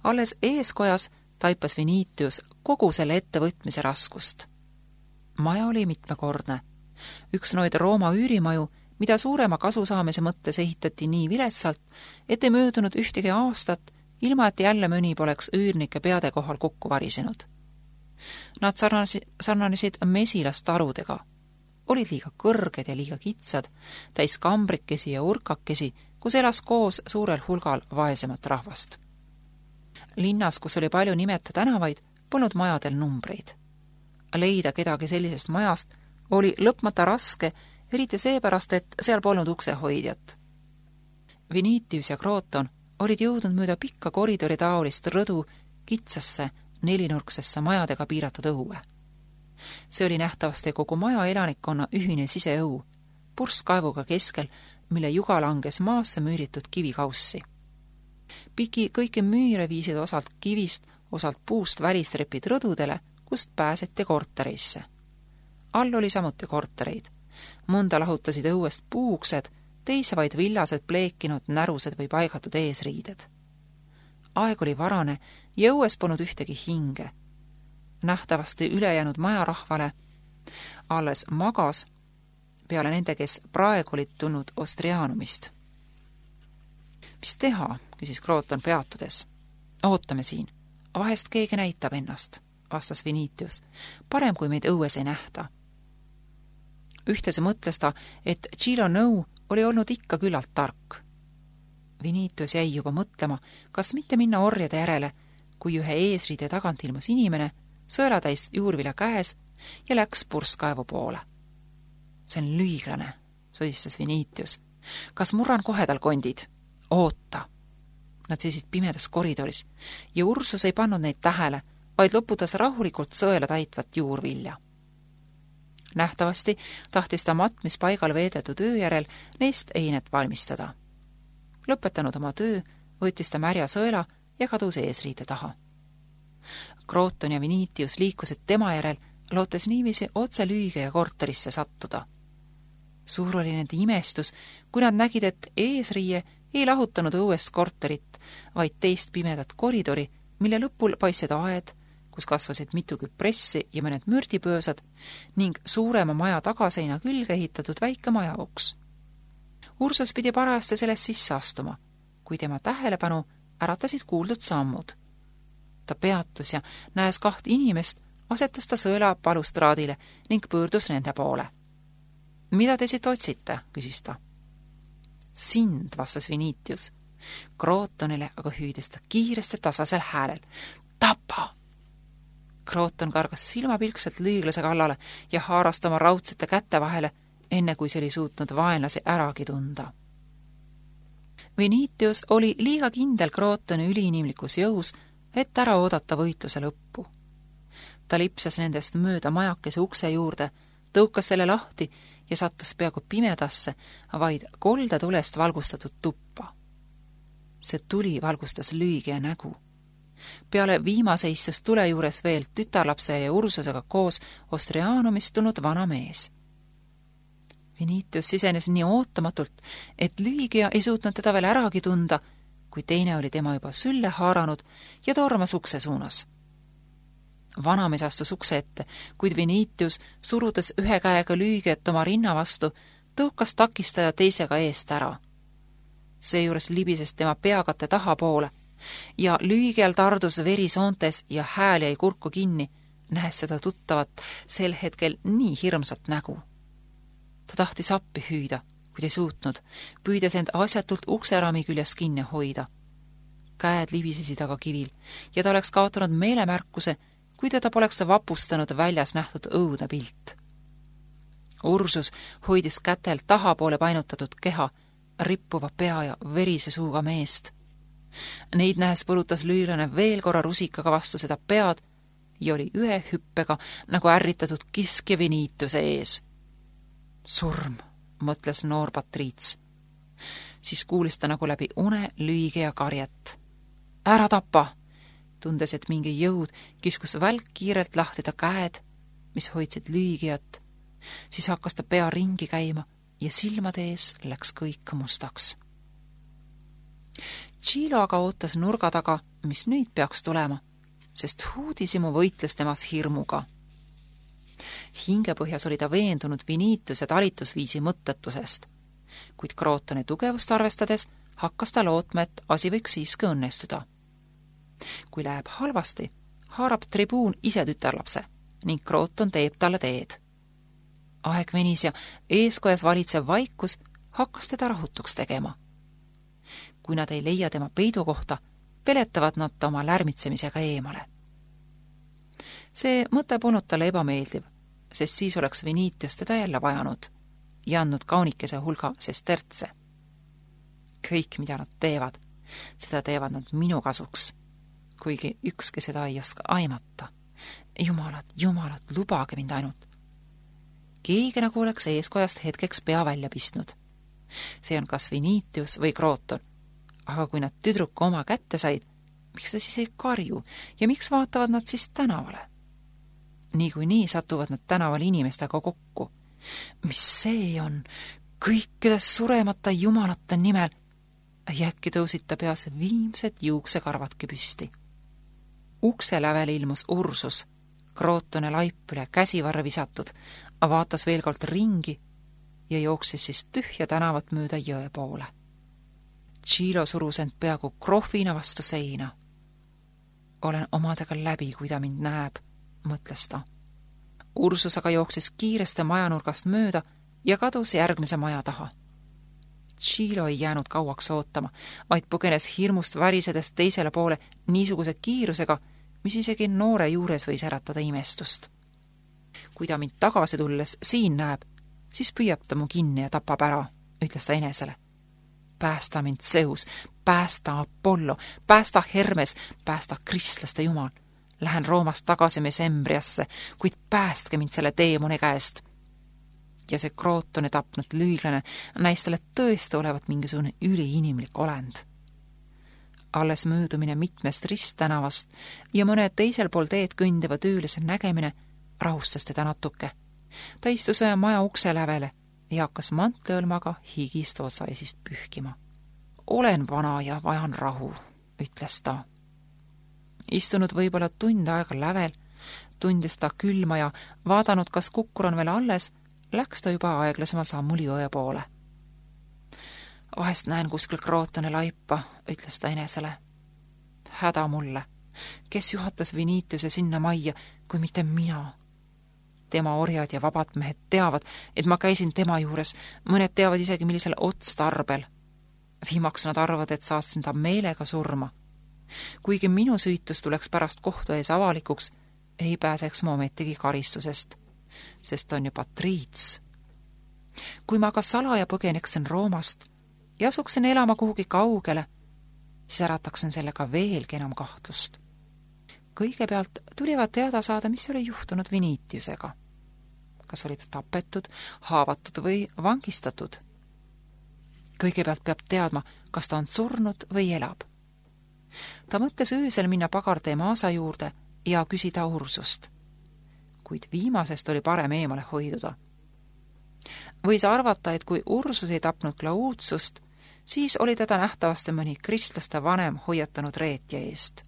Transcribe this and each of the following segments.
Alles eeskojas taipas Vinitius kogu selle ettevõtmise raskust. Maja oli mitmekordne. Üks noid Rooma üürimaju, mida suurema kasu saamise mõttes ehitati nii viletsalt, et ei möödunud ühtegi aastat, ilma et jälle mõni poleks üürnike peade kohal kokku varisenud. Nad sarnanesid mesilastarudega, olid liiga kõrged ja liiga kitsad, täis kambrikesi ja urkakesi, kus elas koos suurel hulgal vaesemat rahvast. Linnas, kus oli palju nimeta tänavaid, polnud majadel numbreid. Leida kedagi sellisest majast oli lõpmata raske, eriti seepärast, et seal polnud uksehoidjat. Vinitius ja Kroton olid jõudnud mööda pikka koridori taolist rõdu kitsasse, nelinurksesse majadega piiratud õue. See oli nähtavasti kogu maja elanikkonna ühine siseõu, purskkaevuga keskel, mille juga langes maasse müüritud kivikaussi. Piki kõiki müüre viisid osalt kivist, osalt puust välistrepid rõdudele, kust pääseti kortereisse. All oli samuti kortereid. Mõnda lahutasid õuest puuksed, teise vaid villased pleekinud närused või paigatud eesriided. Aeg oli varane ja õues polnud ühtegi hinge. Nähtavasti ülejäänud majarahvale alles magas peale nende, kes praegu olid tulnud Ostrianumist. Mis teha, küsis Kroton peatudes. Ootame siin. Vahest keegi näitab ennast, vastas Vinitius. Parem, kui meid õues ei nähta. Ühtese mõtles ta, et Chilo nõu oli olnud ikka küllalt tark. Vinitius jäi juba mõtlema, kas mitte minna orjade järele, kui ühe eesriide tagant ilmus inimene, sõelatäis juurvilja käes ja läks purskkaevu poole. See on lüüglane, sodistas Vinitius. Kas murran kohe tal kondid? Oota! Nad seisid pimedas koridoris ja Ursus ei pannud neid tähele, vaid loputas rahulikult sõela täitvat juurvilja. Nähtavasti tahtis ta matmis paigal veedetud öö järel neist einet valmistada. Lõpetanud oma töö, võttis ta märja sõela ja kadus eesriide taha. Kroton ja Vinitius liikusid tema järel, lootes niiviisi otse lüüge ja korterisse sattuda. Suur oli nende imestus, kui nad nägid, et eesriie ei lahutanud õuest korterit, vaid teist pimedat koridori, mille lõpul paistsid aed, kus kasvasid mitu küpressi ja mõned mürdipöösad ning suurema maja tagaseina külge ehitatud väike majauks. Ursus pidi parajasti sellest sisse astuma, kui tema tähelepanu äratasid kuuldud sammud. Ta peatus ja näes 2 inimest, asetas ta sõela balustraadile ning pöördus nende poole. Mida te siit otsite, küsis ta. Sind, vastas Vinitius. Krotonile aga hüüdis ta kiiresti tasasel häälel. Tapa! Kroton kargas silmapilkselt lüüglase kallale ja haarast oma raudsete kätte vahele, enne kui see oli suutnud vaenlasi äragi tunda. Vinitius oli liiga kindel Krotoni üliinimlikus jõus, et ära oodata võitluse lõppu. Ta lipsas nendest mööda majakese ukse juurde, tõukas selle lahti ja sattus peaaegu pimedasse, vaid kolde tulest valgustatud tuppa. See tuli valgustas lüügi ja nägu. Peale viimase istus tule juures veel tütarlapse ja Ursusega koos Ostrianumist tulnud vana mees. Vinitius sisenes nii ootamatult, et lüügija ei suutnud teda veel äragi tunda, kui teine oli tema juba sülle haaranud ja tormas ukse suunas. Vanamees astus ukse ette, kuid Vinitius, surudes ühe käega lüügiet oma rinna vastu, tõukas takistaja teisega eest ära. Seejuures libises tema peakatte tahapoole ja lüügial tardus verisoontes ja hääl jäi kurku kinni, nähes seda tuttavat sel hetkel nii hirmsat nägu. Ta tahtis appi hüüda, kuid ei suutnud, püüdes end asjatult ukserami küljes kinni hoida. Käed libisesid aga kivil ja ta oleks kaotanud meelemärkuse, kui teda poleks vapustanud väljas nähtud õudne pilt. Ursus hoidis kätel tahapoole painutatud keha, rippuva pea ja verise suuga meest. Neid nähes põrutas lüüglane veel korra rusikaga vastu seda pead ja oli ühe hüppega nagu ärritatud kiskja Vinitiuse ees. Surm, mõtles noor patriits. Siis kuulis ta nagu läbi une lüügi ja karjet. Ära tapa! Tundes, et mingi jõud kiskus välk kiirelt lahti ta käed, mis hoidsid lüügijat. Siis hakkas ta pea ringi käima ja silmade ees läks kõik mustaks. Chilo aga ootas nurga taga mis nüüd peaks tulema, sest uudishimu võitles temas hirmuga. Hingepõhjas oli ta veendunud Vinitiuse talitusviisi mõttetusest, kuid Krootoni tugevust arvestades hakkas ta lootma, et asi võiks siiski õnnestuda. Kui läheb halvasti, haarab tribuun ise tütarlapse ning Krooton teeb talle teed. Aeg venis ja eeskojas valitsev vaikus hakkas teda rahutuks tegema. Kui nad ei leia tema peidukohta, peletavad nad ta oma lärmitsemisega eemale. See mõte polnud talle ebameeldiv, sest siis oleks Vinitius teda jälle vajanud ja andnud kaunikese hulga sestertse. Kõik, mida nad teevad, seda teevad nad minu kasuks, kuigi ükski seda ei oska aimata. Jumalad, lubage mind ainult. Keegi nagu oleks eeskojast hetkeks pea välja pistnud. See on kas Vinitius või Krooton, aga kui nad tüdruku oma kätte said, miks ta siis ei karju ja miks vaatavad nad siis tänavale? Niikuinii satuvad nad tänaval inimestega kokku. Mis see on? Kõikides suremata jumalate nimel ja äkki tõusid ta peas viimsed juuksekarvadki püsti. Ukse lävel ilmus Ursus, Krootone laip üle käsivarre visatud, vaatas veel kord ringi ja jooksis siis tühja tänavat mööda jõe poole. Tšilo surus end peaaegu krohvina vastu seina. Olen omadega läbi, kui ta mind näeb, mõtles ta. Ursus aga jooksis kiiresti majanurgast mööda ja kadus järgmise maja taha. Tšilo ei jäänud kauaks ootama, vaid põgenes hirmust värisedes teisele poole niisuguse kiirusega, mis isegi noore juures võis äratada imestust. Kui ta mind tagasi tulles siin näeb, siis püüab ta mu kinni ja tapab ära, ütles ta enesele. Päästa mind Zeus, päästa Apollo, päästa Hermes, päästa kristlaste jumal. Lähen Roomast tagasi Mesembriasse, kuid päästke mind selle teemoni käest. Ja see Krootoni tapnud lüüglane näis talle tõesti olevat mingisugune üliinimlik olend. Alles möödumine mitmest risttänavast ja mõne teisel pool teed kõndiva töölise nägemine rahustas teda natuke. Ta istus ühe maja ukse lävele ja hakkas mantliõlmaga higist otsaisist pühkima. Olen vana ja vajan rahu, ütles ta. Istunud võib-olla tund aega lävel, tundis ta külma ja vaadanud, kas kukkur on veel alles, läks ta juba aeglasemal sammul jõe poole. Vahest näen kuskil Krootone laipa, ütles ta enesele. Häda mulle, kes juhatas Vinitiuse sinna majja, kui mitte mina. Tema orjad ja vabad mehed teavad, et ma käisin tema juures, mõned teavad isegi millisel otstarbel. Viimaks nad arvavad, et saatsin ta meelega surma. Kuigi minu süütus tuleks pärast kohtu ees avalikuks, ei pääseks ma ometigi karistusest, sest on ju patriits. Kui ma aga salaja põgeneksin Roomast ja asuksin elama kuhugi kaugele, siis ärataksin sellega veelgi enam kahtlust. Kõigepealt tulivad teada saada, mis oli juhtunud Vinitiusega. Kas oli ta tapetud, haavatud või vangistatud? Kõigepealt peab teadma, kas ta on surnud või elab. Ta mõtles öösel minna Pagartee maasa juurde ja küsida Ursust, kuid viimasest oli parem eemale hoiduda. Võis arvata, et kui Ursus ei tapnud Klautsust, siis oli teda nähtavasti mõni kristlaste vanem hoiatanud reetja eest.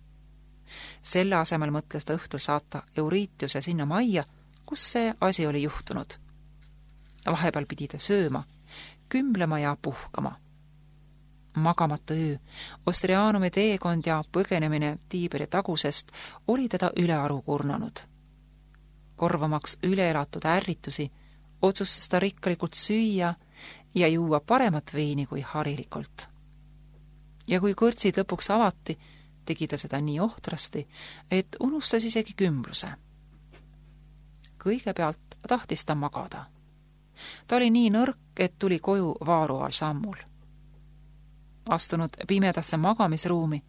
Selle asemel mõtles ta õhtul saata Euritiuse sinna majja, kus see asi oli juhtunud. Vahepeal pidi ta sööma, kümblema ja puhkama. Magamata öö, Ostrianumi teekond ja põgenemine Tiiberi tagusest oli teda ülearu kurnanud. Korvamaks üleelatud ärritusi, otsustas ta rikkalikult süüa ja juua paremat veini kui harilikult. Ja kui kõrtsid lõpuks avati, tegi ta seda nii ohtrasti, et unustas isegi kümbluse. Kõigepealt tahtis ta magada. Ta oli nii nõrk, et tuli koju vaaruval sammul. Astunud pimedasse magamisruumi,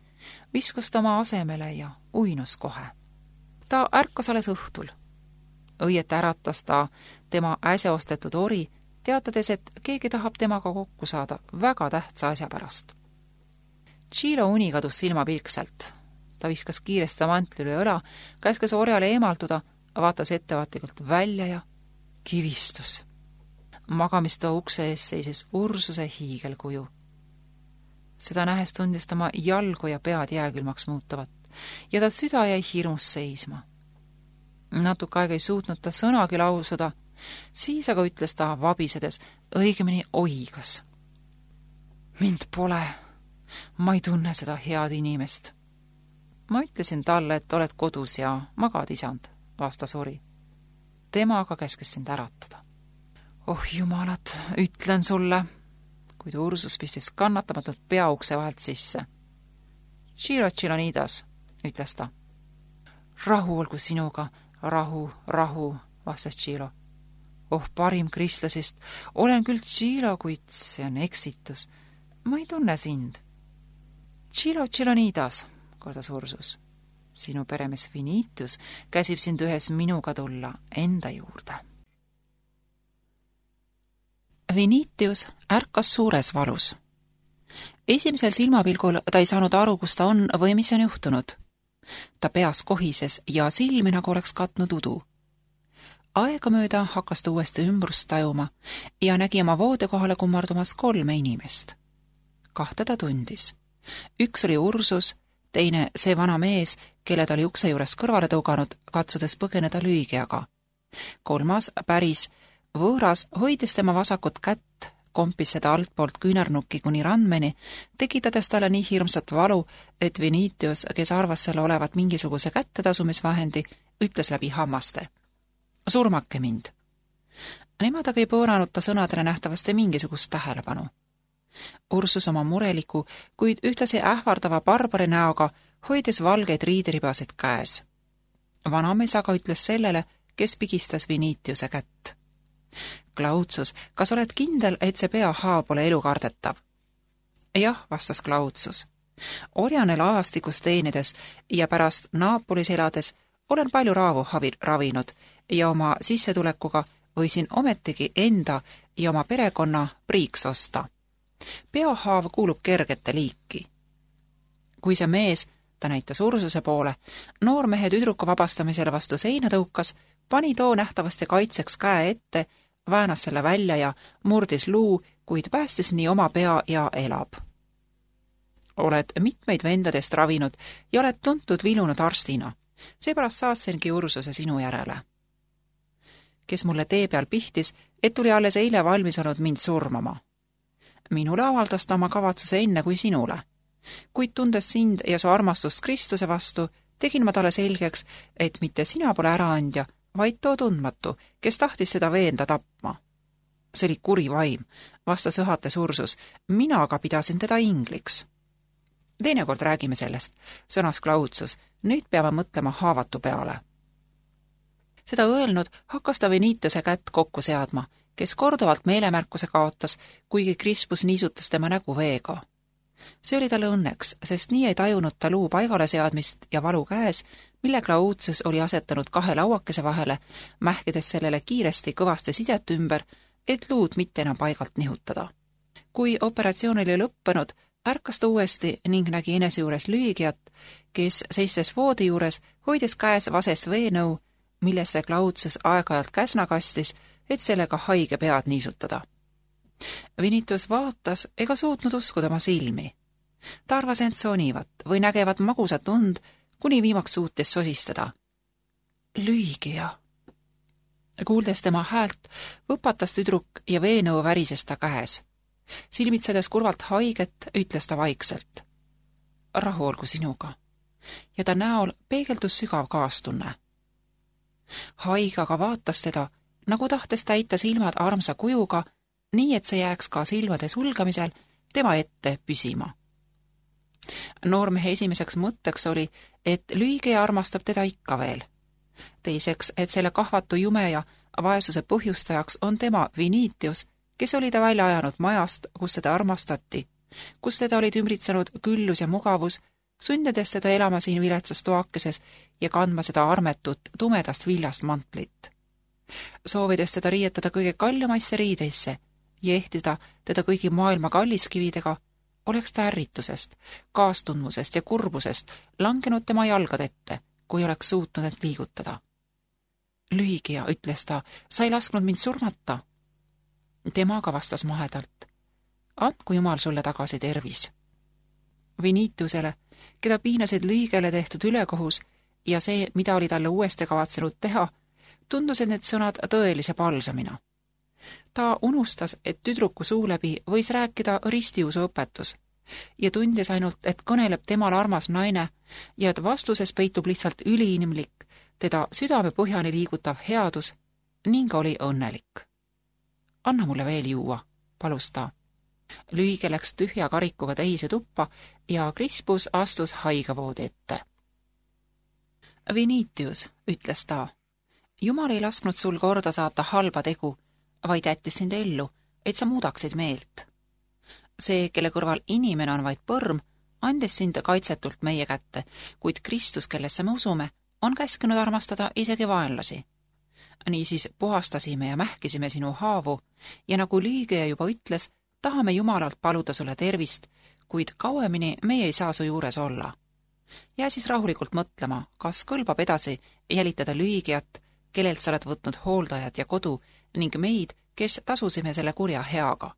viskus ta oma asemele ja uinus kohe. Ta ärkas alles õhtul. Õieti äratas ta tema äsja ostetud ori, teatades, et keegi tahab temaga kokku saada väga tähtsa asja pärast. Tšilo uni kadus silmapilkselt. Ta viskas kiiresti mantli üle õla, käskes orjale eemalduda, vaatas ettevaatlikult välja ja kivistus. Magamistoa ukse ees seisis Ursuse hiigelkuju. Seda nähes tundis tema jalgu ja pead jääkülmaks muutuvat ja ta süda jäi hirmus seisma. Natuke aega ei suutnud ta sõnagi lausuda, siis aga ütles ta vabisedes, õigemini oigas. Mind pole, ma ei tunne seda head inimest. Ma ütlesin talle, et oled kodus ja magad, isand, vastas ori. Tema aga käskes sind äratada. Oh jumalad, ütlen sulle, kuid Ursus pistis kannatamatult peaukse vahelt sisse. Ciro Tšilonidas, ütles ta. Rahu olgu sinuga, rahu, vastas Ciro. Oh parim kristlasest, olen küll Ciro, kuid see on eksitus. Ma ei tunne sind. Ciro Tšilonidas, kordas Ursus. Sinu peremees Vinitus käsib sind ühes minuga tulla enda juurde. Vinitius ärkas suures valus. Esimesel silmapilgul ta ei saanud aru, kus ta on või mis on juhtunud. Ta peas kohises ja silmi nagu oleks katnud udu. Aegamööda hakkas ta uuesti ümbrust tajuma ja nägi oma voodekohale kummardumas 3 inimest. 2 ta tundis. Üks oli Ursus, teine see vana mees, kelle ta oli ukse juurest kõrvale tõuganud, katsudes põgeneda Lüügiaga. 3. päris võõras hoides tema vasakut kätt, kompis seda altpoolt küünarnukki kuni randmeni, tekitades talle nii hirmsat valu, et Vinitius, kes arvas selle olevat mingisuguse kättetasumisvahendi, ütles läbi hammaste. Surmake mind. Nemad aga ei pööranud ta sõnadele nähtavasti mingisugust tähelepanu. Ursus oma mureliku, kuid ühtlasi ähvardava barbari näoga hoides valgeid riideribasid käes. Vanamees aga ütles sellele, kes pigistas Vinitiuse kätt. Klaudsus, kas oled kindel, et see peahaav pole elukardetav? Jah, vastas Klaudsus. Orjane laevastikus teenides ja pärast Naapolis elades olen palju raavu ravinud ja oma sissetulekuga võisin ometigi enda ja oma perekonna priiks osta. Peahaav kuulub kergete liiki. Kui see mees, ta näitas Ursuse poole, noormehe tüdruku vabastamisele vastu seina tõukas, pani too nähtavasti kaitseks käe ette, väänas selle välja ja murdis luu, kuid päästis nii oma pea ja elab. Oled mitmeid vendadest ravinud ja oled tuntud vilunud arstina. Seepärast saatsengi Ursuse sinu järele. Kes mulle tee peal pihtis, et tuli alles eile valmis olnud mind surmama. Minule avaldas ta oma kavatsuse enne kui sinule. Kuid tundes sind ja su armastust Kristuse vastu, tegin ma talle selgeks, et mitte sina pole äraandja, vaid too tundmatu, kes tahtis seda veenda tapma. See oli kuri vaim, vastas õhates Ursus, mina aga pidasin teda ingliks. Teinekord räägime sellest, sõnas Klaudsus, nüüd peame mõtlema haavatu peale. Seda öelnud hakkas ta Vinitiuse kätt kokku seadma, kes korduvalt meelemärkuse kaotas, kuigi Krispus niisutas tema nägu veega. See oli talle õnneks, sest nii ei tajunud ta luu paigale seadmist ja valu käes, mille Klaudsus oli asetanud 2 lauakese vahele, mähkides sellele kiiresti kõvasti sidet ümber, et luud mitte enam paigalt nihutada. Kui operatsioon oli lõppenud, ärkas ta uuesti ning nägi enese juures Lüügiat, kes seistes voodi juures hoides käes vasest veenõu, millesse Klaudsus aeg-ajalt käsna kastis, et sellega haige pead niisutada. Vinitus vaatas ega suutnud uskuda oma silmi. Ta arvas end sonivat või nägevat magusat und, kuni viimaks suutis sosistada. Lüügia. Kuuldes tema häält, võpatas tüdruk ja veenõu värises ta käes. Silmitsedes kurvalt haiget, ütles ta vaikselt. Rahu olgu sinuga. Ja ta näol peegeldus sügav kaastunne. Haige aga vaatas teda, nagu tahtes täita silmad armsa kujuga, nii et see jääks ka silmade sulgamisel tema ette püsima. Noormehe esimeseks mõtteks oli, et Lüügia armastab teda ikka veel. Teiseks, et selle kahvatu jume ja vaesuse põhjustajaks on tema Vinitius, kes oli ta välja ajanud majast, kus teda armastati, kus teda olid ümbritsenud küllus ja mugavus, sundides teda elama siin viletsas toakeses ja kandma seda armetut tumedast viljast mantlit. Soovides teda riietada kõige kallimaisse riideisse ja ehtida teda kõigi maailma kalliskividega, oleks ta ärritusest, kaastundmusest ja kurbusest langenud tema jalgad ette, kui oleks suutnud end liigutada. Lüügia, ütles ta, sa ei lasknud mind surmata. Tema aga vastas mahedalt. Andku Jumal sulle tagasi tervis. Vinitiusele, keda piinasid lüigele tehtud ülekohus ja see, mida oli talle uuesti kavatsenud teha, tundusid need sõnad tõelise palsamina. Ta unustas, et tüdruku suu läbi võis rääkida ristiusu õpetus ja tundis ainult, et kõneleb temal armas naine ja et vastuses peitub lihtsalt üliinimlik, teda südamepõhjani liigutav headus ning oli õnnelik. Anna mulle veel juua, palus ta. Lüige läks tühja karikuga teise tuppa ja Crispus astus haigavoodi ette. Vinitius, ütles ta, Jumal ei lasknud sul korda saata halba tegu, vaid jättis sind ellu, et sa muudaksid meelt. See, kelle kõrval inimene on vaid põrm, andis sind kaitsetult meie kätte, kuid Kristus, kellesse me usume, on käskinud armastada isegi vaenlasi. Niisiis puhastasime ja mähkisime sinu haavu ja nagu lüügeja juba ütles, tahame Jumalalt paluda sulle tervist, kuid kauemini meie ei saa su juures olla. Jää siis rahulikult mõtlema, kas kõlbab edasi jälitada lüügijat, kellelt sa oled võtnud hooldajad ja kodu ning meid, kes tasusime selle kurja heaga.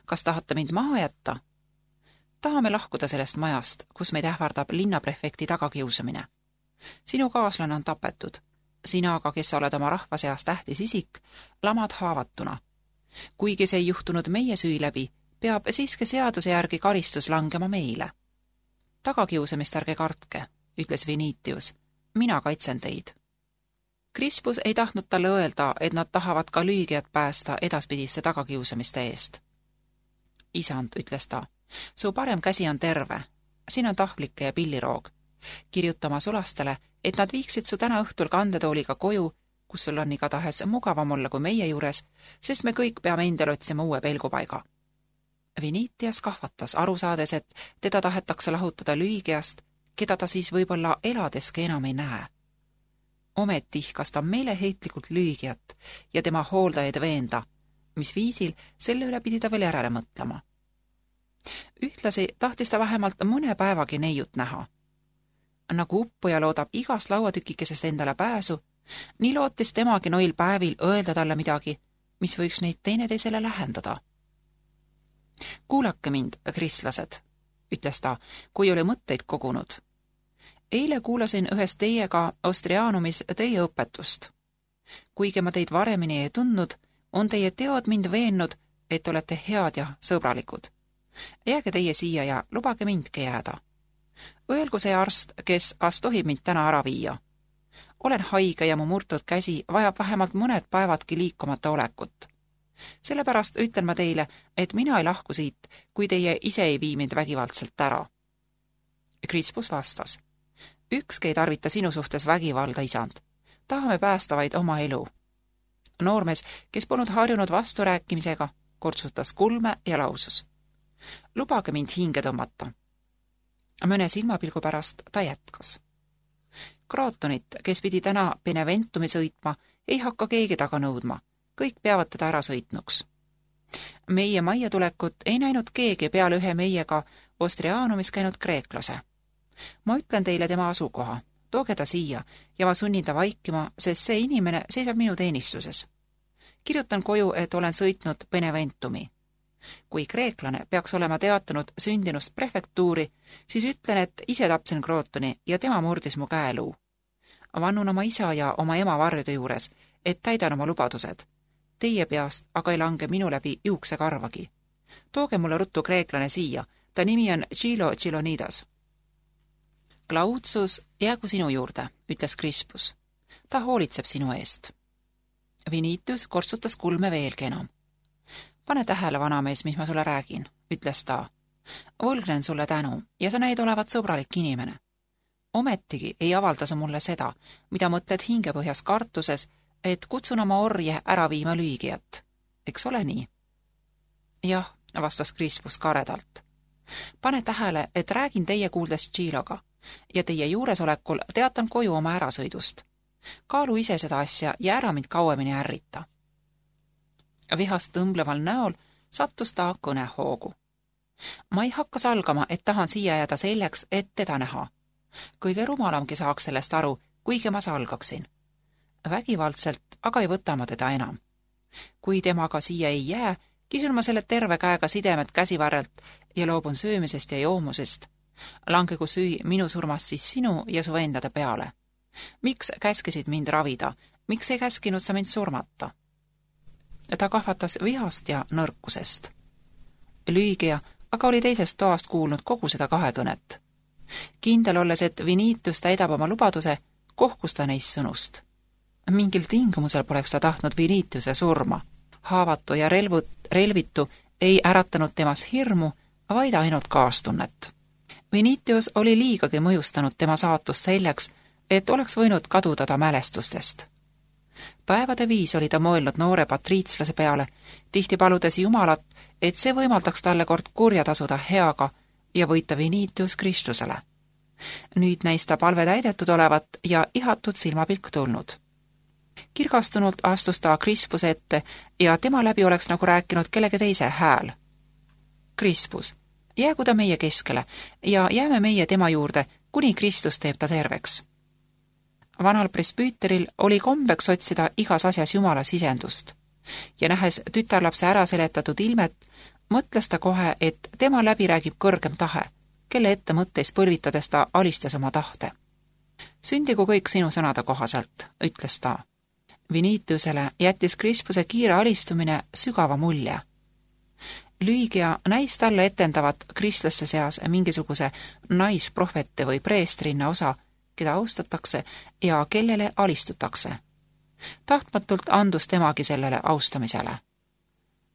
Kas tahate mind maha jätta? Tahame lahkuda sellest majast, kus meid ähvardab linnaprefekti tagakiusamine. Sinu kaaslane on tapetud. Sina aga, kes sa oled oma rahva seas tähtis isik, lamad haavatuna. Kuigi see ei juhtunud meie süü läbi, peab siiski seaduse järgi karistus langema meile. Tagakiusamist ärge kartke, ütles Vinitius. Mina kaitsen teid. Crispus ei tahtnud talle öelda, et nad tahavad ka lüügijat päästa edaspidisse tagakiusamiste eest. Isand, ütles ta, su parem käsi on terve. Siin on tahvlike ja pilliroog. Kirjutama sulastele, et nad viiksid su täna õhtul kandetooliga koju, kus sul on igatahes mugavam olla kui meie juures, sest me kõik peame endale otsima uue pelgupaiga. Vinitius kahvatas, aru saades, et teda tahetakse lahutada lüügijast, keda ta siis võib-olla eladeski enam ei näe. Ometi ihkas ta meeleheitlikult lüügijat ja tema hooldajaid veenda, mis viisil selle üle pidi ta veel järele mõtlema. Ühtlasi tahtis ta vähemalt mõne päevagi neiut näha. Nagu uppuja loodab igast lauatükikesest endale pääsu, nii lootis temagi noil päevil öelda talle midagi, mis võiks neid teineteisele lähendada. Kuulake mind, kristlased, ütles ta, kui oli mõtteid kogunud. Eile kuulasin ühes teiega Ostrianumis teie õpetust. Kuigi ma teid varemini ei tundnud, on teie teod mind veennud, et olete head ja sõbralikud. Jääge teie siia ja lubage mindki jääda. Öelgu see arst, kes kas tohib mind täna ära viia. Olen haige ja mu murtud käsi vajab vähemalt mõned päevadki liikumata olekut. Sellepärast ütlen ma teile, et mina ei lahku siit, kui teie ise ei vii mind vägivaldselt ära. Crispus vastas. Ükski ei tarvita sinu suhtes vägivalda, isand. Tahame päästa vaid oma elu. Noormees, kes polnud harjunud vasturääkimisega, kortsutas kulme ja lausus. Lubage mind hinge tõmmata. Mõne silmapilgu pärast ta jätkas. Krootonit, kes pidi täna Beneventumi sõitma, ei hakka keegi taga nõudma. Kõik peavad teda ära sõitnuks. Meie majja tulekut ei näinud keegi peale ühe meiega Ostrianumis käinud kreeklase. Ma ütlen teile tema asukoha. Tooge ta siia ja ma sunnin ta vaikima, sest see inimene seisab minu teenistuses. Kirjutan koju, et olen sõitnud Beneventumi. Kui kreeklane peaks olema teatanud sündinust prefektuuri, siis ütlen, et ise tapsin Krootoni ja tema murdis mu käeluu. Vannun oma isa ja oma ema varjude juures, et täidan oma lubadused. Teie peast aga ei lange minu läbi juuksekarvagi. Tooge mulle ruttu kreeklane siia, ta nimi on Chilo Chilonidas. Claudius, jäägu sinu juurde, ütles Crispus. Ta hoolitseb sinu eest. Vinitius kortsutas kulme veelgi enam. Pane tähele, vanamees, mis ma sulle räägin, ütles ta. Võlgnen sulle tänu ja sa näid olevat sõbralik inimene. Ometigi ei avalda sa mulle seda, mida mõtled hingepõhjas kartuses, et kutsun oma orje ära viima lüügijat. Eks ole nii? Jah, vastas Crispus karedalt. Pane tähele, et räägin teie kuuldes Chiloga ja teie juuresolekul teatan koju oma ärasõidust. Kaalu ise seda asja ja ära mind kauemini ärrita. Vihast tõmbleval näol sattus ta kõnehoogu. Ma ei hakka salgama, et tahan siia jääda selleks, et teda näha. Kõige rumalamgi saaks sellest aru, kuigi ma salgaksin. Vägivaldselt aga ei võta ma teda enam. Kui temaga siia ei jää, Kisun ma selle terve käega sidemed käsivarrelt ja loobun söömisest ja joomusest. Langegu süü minu surmast siis sinu ja su endade peale. Miks käskisid mind ravida? Miks ei käskinud sa mind surmata? Ta kahvatas vihast ja nõrkusest. Lüügia aga oli teisest toast kuulnud kogu seda kahekõnet. Kindel olles, et Viniitus täidab oma lubaduse, kohkus ta neist sõnust. Mingil tingimusel poleks ta tahtnud Viniituse surma. Haavatu ja relvitu ei äratanud temas hirmu, vaid ainult kaastunnet. Viniitius oli liigagi mõjustanud tema saatust selleks, et oleks võinud kaduda ta mälestustest. Päevade viis oli ta mõelnud noore patriitslase peale, tihti paludes Jumalat, et see võimaldaks talle kord kurja tasuda heaga ja võita Viniitius Kristusele. Nüüd näis ta palve täidetud olevat ja ihatud silmapilk tulnud. Kirgastunult astus ta Krispuse ette ja tema läbi oleks nagu rääkinud kellegi teise hääl. Krispus, jäägu ta meie keskele ja jääme meie tema juurde, kuni Kristus teeb ta terveks. Vanal presbüüteril oli kombeks otsida igas asjas Jumala sisendust ja nähes tütarlapse ära seletatud ilmet, mõtles ta kohe, et tema läbi räägib kõrgem tahe, kelle ette mõtteis põlvitades ta alistas oma tahte. Sündigu kõik sinu sõnade kohaselt, ütles ta. Viniitiusele jättis Krispuse kiire alistumine sügava mulje. Lüügia näis talle etendavat kristlaste seas mingisuguse naisprohvete või preestrinna osa, keda austatakse ja kellele alistutakse. Tahtmatult andus temagi sellele austamisele.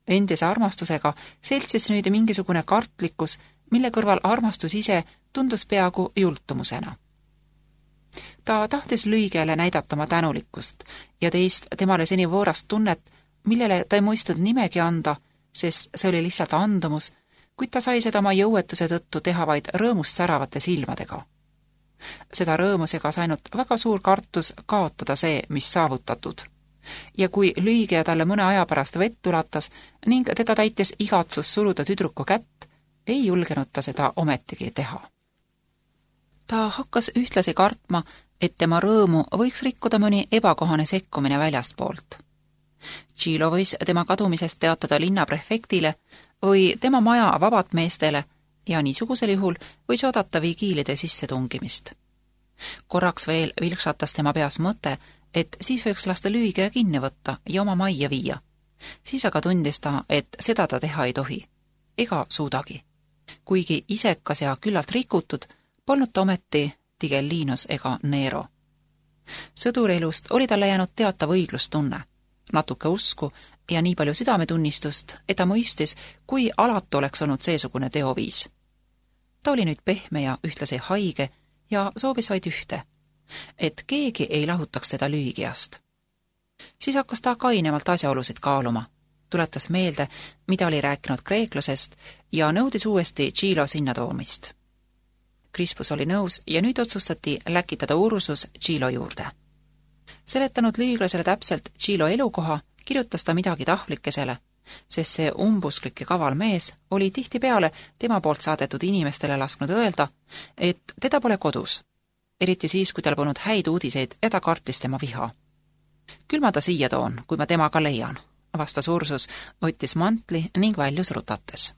Endise armastusega seltsis nüüd mingisugune kartlikkus, mille kõrval armastus ise tundus peaaegu jultumusena. Ta tahtis Lüügiale näidata oma tänulikkust ja teist temale seni võõrast tunnet, millele ta ei mõistnud nimegi anda, sest see oli lihtsalt andumus, kuid ta sai seda oma jõuetuse tõttu teha vaid rõõmust säravate silmadega. Seda rõõmu segas ainult väga suur kartus kaotada see, mis saavutatud. Ja kui Lüügia talle mõne aja pärast vett ulatas ning teda täitis igatsus suruda tüdruku kätt, ei julgenud ta seda ometigi teha. Ta hakkas ühtlasi kartma, et tema rõõmu võiks rikkuda mõni ebakohane sekkumine väljastpoolt. Tšilo võis tema kadumisest teatada linnaprefektile või tema maja vabatmeestele ja niisugusel juhul võis oodata vigiilide sissetungimist. Korraks veel vilksatas tema peas mõte, et siis võiks lasta Lüügia kinni võtta ja oma majja viia. Siis aga tundis ta, et seda ta teha ei tohi, ega suudagi. Kuigi isekas ja küllalt rikutud, polnud ta ometi Tigellinus ega Nero. Sõdurielust oli talle jäänud teatav õiglustunne, natuke usku ja nii palju südametunnistust, et ta mõistis, kui alatu oleks olnud seesugune teoviis. Ta oli nüüd pehme ja ühtlasi haige ja soovis vaid ühte, et keegi ei lahutaks teda Lüügiast. Siis hakkas ta kainemalt asjaolusid kaaluma, tuletas meelde, mida oli rääkinud kreeklasest ja nõudis uuesti Tšilo sinna toomist. Krispus oli nõus ja nüüd otsustati läkitada Ursus Tšilo juurde. Seletanud lüüglasele täpselt Tšilo elukoha, kirjutas ta midagi tahvlikesele, sest see umbusklik ja kaval mees oli tihtipeale tema poolt saadetud inimestele lasknud öelda, et teda pole kodus, eriti siis, kui tal polnud häid uudiseid ja ta kartis tema viha. Küll ma ta siia toon, kui ma temaga leian, vastas Ursus, võttis mantli ning väljus rutates.